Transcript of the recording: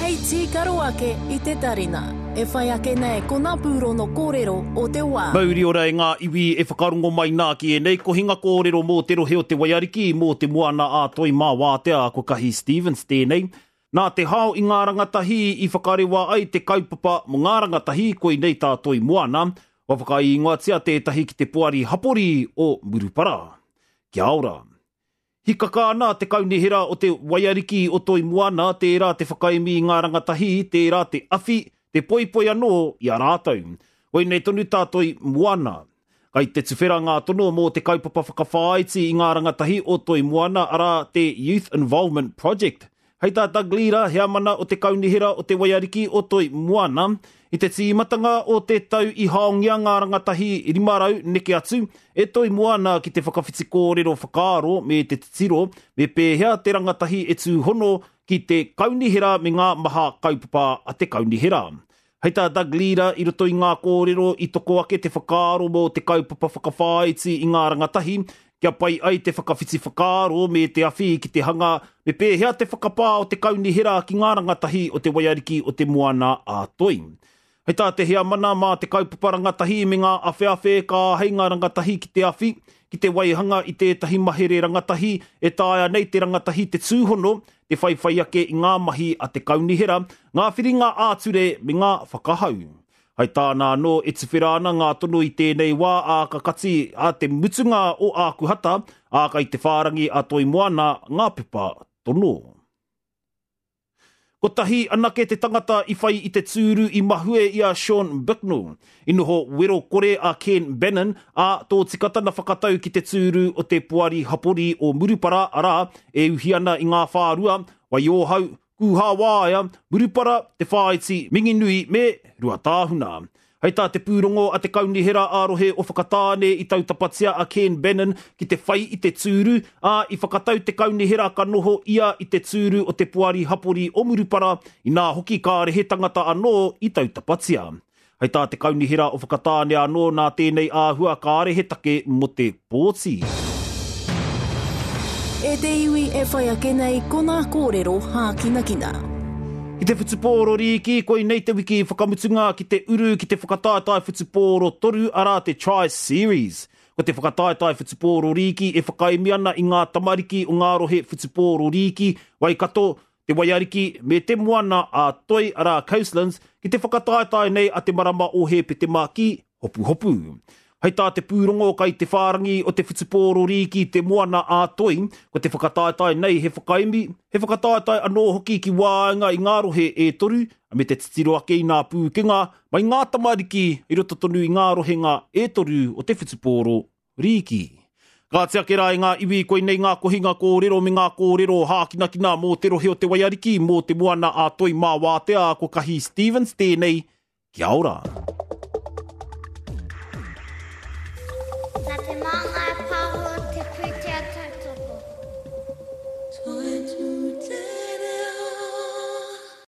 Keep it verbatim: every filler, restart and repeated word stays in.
Hei tīkaro ake i te tarina. E whai ake nei ko ngā pūrono kōrero o te wā. Mauri ora e ngā iwi e whakarongo mai nā ki ēnei kohinga kōrero mō te rohe o te Waiariki, mō te moana a Toi mā wātea, ko Kahi Stevens tēnei. Nā te hao i ngā rangatahi i whakarewa ai te kaupapa mō ngā rangatahi, koinei tā Toi Moana, kua whakaingoatia tētahi ki te poari hapori o Murupara. Kia ora. Hikaka ana te kaunihera o te Waiariki o Toi Moana, tērā te whakaemi i ngā rangatahi, tērā te awhi, te poipoi anō i a rātou. Koinei tonu tā Toi Moana. Kai te tuwhera ngā tono mō te kaupapa whakawhāiti i ngā rangatahi o Toi Moana, arā te Youth Involvement Project. Hei tā Doug Leader, heamana o te kaunihera o te Waiariki o Toi Moana, i te tīmatanga o te tau i haongia ngā rangatahi rima rau neke atu e Toi Moana ki te whakawhiti kōrero whakaaro me te titiro me pēhea te rangatahi e tūhono ki te kaunihera me ngā maha kaupapa a te kaunihera. Hei tā Doug Leader, i roto i ngā kōrero i toko ake te whakaaro mō te kaupapa whakawhāiti i ngā rangatahi, kia pai ai te whakawhiti whakaaro me te awhi ki te hanga me pēhea te whakapā o te kaunihera ki ngā rangatahi o te Waiariki o te Moana a Toi. Hei tā te heamana mā te kaupapa rangatahi me ngā awheawhe ka āhei ngā rangatahi ki te awhi, ki te waihanga i tētahi mahere rangatahi e taea nei te rangatahi te tūhono, te whaiwhai ake i ngā mahi a te kaunihera, ngā whiringa ā-ture me ngā whakahau. Hei tāna anō e tuwhera ana ngā tono i tēnei wā ā ka kati a te mutunga o Ākuhata, ā kai te whārangi a Toi Moana ngā pepa tono. Kotahi anake te tangata i whai i te tūru i mahue i a Sean Bicknell. I noho wero kore a Ken Bannon, ā, tōtika tana whakatau ki te tūru o te poari hapori o Murupara, arā, e uhi ana i ngā whārua, Waiōhau, Kūhāwāea, Murupara, Te Whāiti, Minginui me Ruatāhuna. Hei tā te pūrongo a te Kaunihera ā-rohe o Whakatāne i tautapatia a Ken Bannon ki te whai i te tūru, ā, i whakatau te Kaunihera ka noho ia i te tūru o te poari hapori o Murupara, inā hoki kāre he tangata anō i tautapatia. Hei tā te Kaunihera o Whakatāne anō nā tēnei āhua kāre he take mō te pōti. E te iwi e whai ake nei ko ngā kōrero hākinakina. Ki te whutupōro rīki, koinei te wiki whakamutunga ki te uru ki te whakataetae whutupōro toru, arā te Tri-Series. Ko te whakataetae whutupōro rīki e whakaemi ana i ngā tamariki o ngā rohe whutupōro rīki, Waikato, Te Waiariki me te Moana a Toi, arā Coastlands, ki te whakataetae nei a te marama o Hēpetema ki Hopuhopu. Hei tā te pūrongo kai te whārangi o te whutupōro rīki Te Moana a Toi, ko te whakataetae nei he whakaemi, he whakataetae anō hoki ki waenga i ngā rohe e toru, me te titiro ake i ngā pūkenga mai ngā tamariki i roto tonu i ngā rohenga e toru o te whutupōro rīki. Kāti ake rā e ngā iwi, koinei ngā kohinga kōrero me ngā kōrero hākinakina mō te rohe o te Waiariki, mō te Moana a Toi mā wātea, ko Kahi Stevens tēnei, kia ora. Nā te mā